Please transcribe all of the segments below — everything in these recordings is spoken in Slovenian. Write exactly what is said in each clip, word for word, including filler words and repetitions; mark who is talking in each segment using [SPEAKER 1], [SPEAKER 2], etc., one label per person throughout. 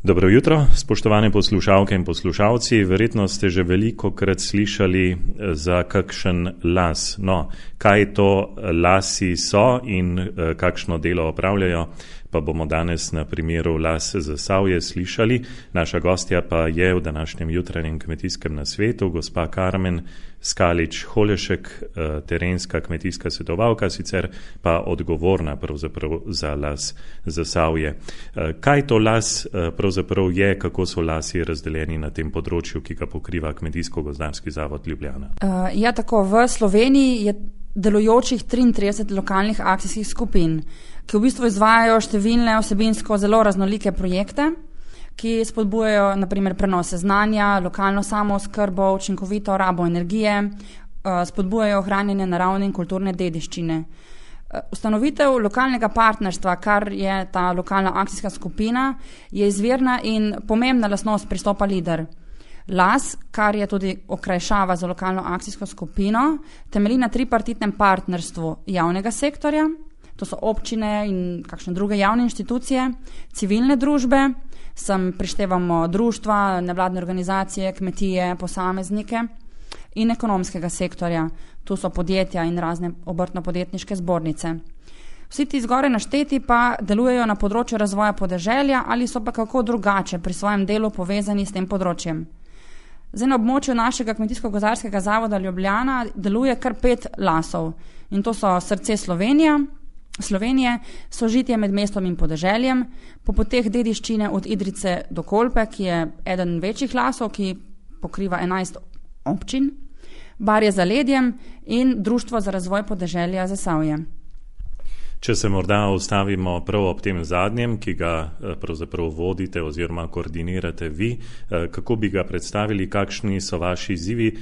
[SPEAKER 1] Dobro jutro, spoštovane poslušalke in poslušalci. Verjetno ste že velikokrat slišali za kakšen las. No, kaj to lasi so in kakšno delo opravljajo, pa bomo danes na primeru Las Zasavje slišali. Naša gostja pa je v današnjem jutranjem kmetijskem nasvetu gospa Karmen Skalič-Holešek, terenska kmetijska svetovalka, sicer pa odgovorna pravzaprav za Las Zasavje. Kaj to las pravzaprav je, kako so lasi razdeljeni na tem področju, ki ga pokriva Kmetijsko-gozdarski zavod Ljubljana?
[SPEAKER 2] Uh, ja, tako v Sloveniji je delujočih triintrideset lokalnih akcijskih skupin, ki v bistvu izvajajo številne vsebinsko zelo raznolike projekte, ki spodbujajo na primer prenose znanja, lokalno samooskrbo, učinkovito rabo energije, spodbujajo ohranjanje naravne in kulturne dediščine. Ustanovitev lokalnega partnerstva, kar je ta lokalna akcijska skupina, je izvirna in pomembna lastnost pristopa Lider. Las, kar je tudi okrajšava za lokalno akcijsko skupino, temelji na tripartitnem partnerstvu javnega sektorja, to so občine in kakšne druge javne inštitucije, civilne družbe, sem prištevamo društva, nevladne organizacije, kmetije, posameznike in ekonomskega sektorja, tu so podjetja in razne obrtno-podjetniške zbornice. Vsi ti zgoraj našteti pa delujejo na področju razvoja podeželja ali so pa kako drugače pri svojem delu povezani s tem področjem. Zdaj na območju našega Kmetijsko-gozdarskega zavoda Ljubljana deluje kar pet lasov in to so Srce Slovenija, Slovenije, sožitje med mestom in podeželjem, po poteh dediščine od Idrijce do Kolpe, ki je eden večjih lasov, ki pokriva enajst občin, Barje za ledjem in Društvo za razvoj podeželja Zasavje.
[SPEAKER 1] Če se morda ustavimo prav ob tem zadnjem, ki ga pravzaprav vodite oziroma koordinirate vi, kako bi ga predstavili, kakšni so vaši izzivi,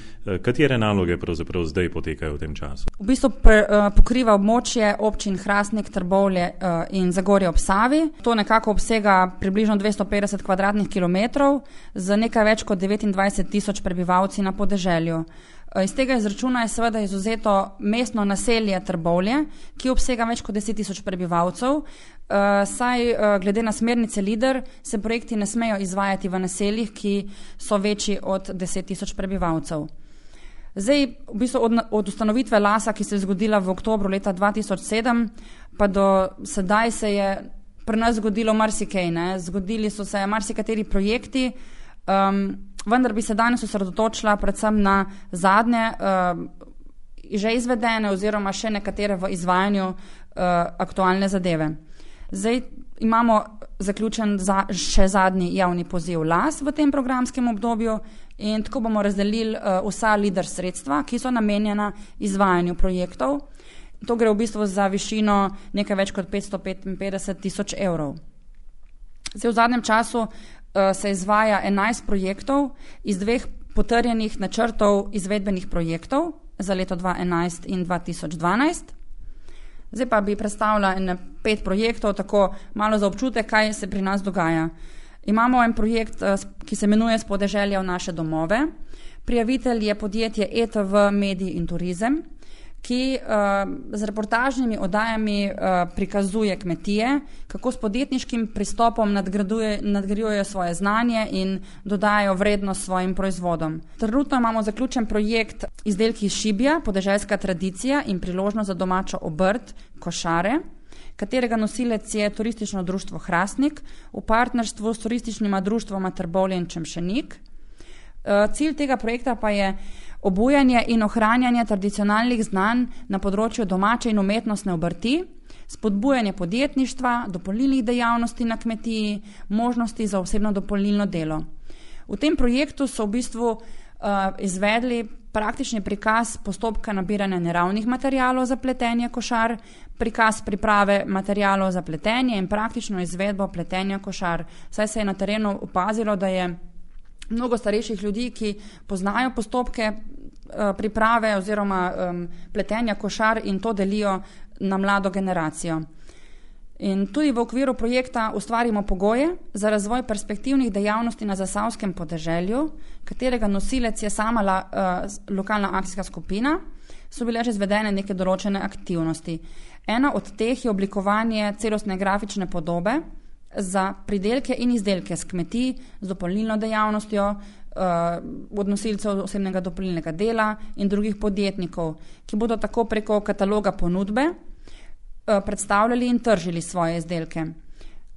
[SPEAKER 1] katere naloge pravzaprav zdaj potekajo v tem času?
[SPEAKER 2] V bistvu pre, pokriva območje občin Hrastnik, Trbovlje in Zagorje ob Savi. To nekako obsega približno dvesto petdeset kvadratnih kilometrov z nekaj več kot devetindvajset tisoč prebivalci na podeželju. Iz tega izračuna je seveda izuzeto mestno naselje Trbovlje, ki obsega več kot deset tisoč prebivalcev, saj glede na smernice Lider se projekti ne smejo izvajati v naseljih, ki so večji od deset tisoč prebivalcev. Zdaj, v bistvu od, od ustanovitve lasa, ki se je zgodila v oktobru leta dva tisoč sedem, pa do sedaj se je pri nas zgodilo marsikaj, ne? Zgodili so se marsikateri projekti, um, vendar bi se danes osredotočila predvsem na zadnje uh, že izvedene oziroma še nekatere v izvajanju uh, aktualne zadeve. Zdaj imamo zaključen za, še zadnji javni poziv Las v tem programskem obdobju in tako bomo razdelili uh, vsa Lider sredstva, ki so namenjena izvajanju projektov. To gre v bistvu za višino nekaj več kot petsto petinpetdeset tisoč evrov. Zdaj v zadnjem času se izvaja enajst projektov iz dveh potrjenih načrtov izvedbenih projektov za leto dva tisoč enajst in dva tisoč dvanajst. Zdaj pa bi predstavila en pet projektov, tako malo za občutek, kaj se pri nas dogaja. Imamo en projekt, ki se imenuje S podeželja v naše domove. Prijavitelj je podjetje E T V Medij in turizem, ki uh, z reportažnimi oddajami uh, prikazuje kmetije, kako s podjetniškim pristopom nadgrajujejo svoje znanje in dodajajo vrednost svojim proizvodom. Trenutno imamo zaključen projekt Izdelki iz šibja, podeželska tradicija in priložnost za domačo obrt, košare, katerega nosilec je Turistično društvo Hrastnik v partnerstvu s turističnima društvoma Trbovlje in Čemšenik. Uh, cilj tega projekta pa je obujanje in ohranjanje tradicionalnih znanj na področju domače in umetnostne obrti, spodbujanje podjetništva, dopolnilnih dejavnosti na kmetiji, možnosti za osebno dopolnilno delo. V tem projektu so v bistvu uh, izvedli praktični prikaz postopka nabiranja naravnih materialov za pletenje košar, prikaz priprave materialov za pletenje in praktično izvedbo pletenja košar. Saj se je na terenu opazilo, da je mnogo starejših ljudi, ki poznajo postopke uh, priprave oziroma um, pletenja košar in to delijo na mlado generacijo. In tudi v okviru projekta ustvarimo pogoje za razvoj perspektivnih dejavnosti na zasavskem podeželju, katerega nosilec je sama la, uh, lokalna akcijska skupina, so bile že izvedene neke določene aktivnosti. Ena od teh je oblikovanje celostne grafične podobe za pridelke in izdelke s kmetij, z dopolnilno dejavnostjo, od nosilcev osebnega dopolnilnega dela in drugih podjetnikov, ki bodo tako preko kataloga ponudbe predstavljali in tržili svoje izdelke.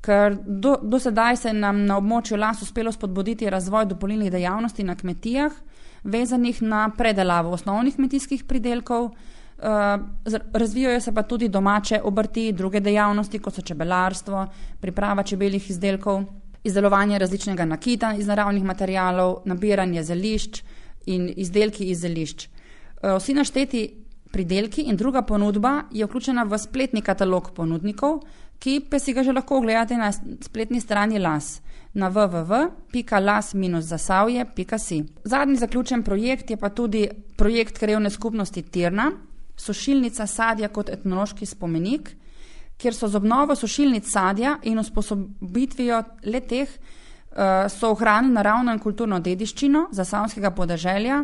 [SPEAKER 2] Ker do, do sedaj se nam na območju Las uspelo spodbuditi razvoj dopolnilnih dejavnosti na kmetijah, vezanih na predelavo osnovnih kmetijskih pridelkov, razvijajo se pa tudi domače obrti, druge dejavnosti, kot so čebelarstvo, priprava čebeljih izdelkov, izdelovanje različnega nakita iz naravnih materialov, nabiranje zelišč in izdelki iz zelišč. Vsi našteti pridelki in druga ponudba je vključena v spletni katalog ponudnikov, ki pa si ga že lahko ogledate na spletni strani Las na w w w pika las dash zasavje pika si. Zadnji zaključen projekt je pa tudi projekt Krajevne skupnosti Tirna, sušilnica sadja kot etnološki spomenik, kjer so z obnovo sušilnic sadja in usposobitvijo le-teh so ohranili naravno in kulturno dediščino zasavskega podeželja.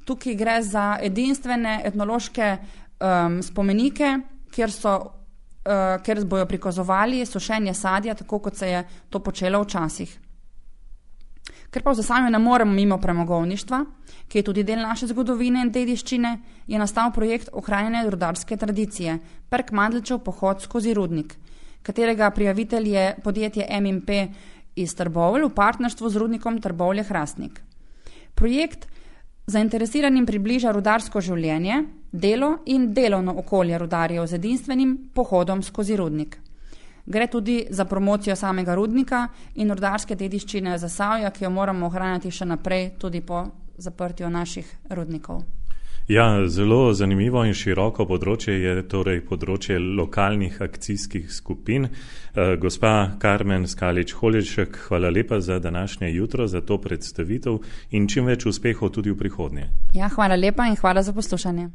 [SPEAKER 2] Tukaj gre za edinstvene etnološke um, spomenike, kjer, so, uh, kjer bojo prikazovali sušenje sadja, tako kot se je to počelo včasih. Ker pa v Zasavju ne moremo mimo premogovništva, ki je tudi del naše zgodovine in dediščine, je nastal projekt ohranjanja rudarske tradicije, Perk Mandlčev pohod skozi rudnik, katerega prijavitelj je podjetje M in P iz Trbovelj v partnerstvu z rudnikom Trbovlje-Hrastnik. Projekt zainteresiranim približa rudarsko življenje, delo in delovno okolje rudarjev z edinstvenim pohodom skozi rudnik. Gre tudi za promocijo samega rudnika in rudarske dediščine Zasavja, ki jo moramo ohranjati še naprej tudi po zaprtju naših rudnikov.
[SPEAKER 1] Ja, zelo zanimivo in široko področje je torej področje lokalnih akcijskih skupin. E, gospa Karmen Skalič-Holeček, hvala lepa za današnje jutro, za to predstavitev in čim več uspehov tudi v prihodnje.
[SPEAKER 2] Ja, hvala lepa in hvala za poslušanje.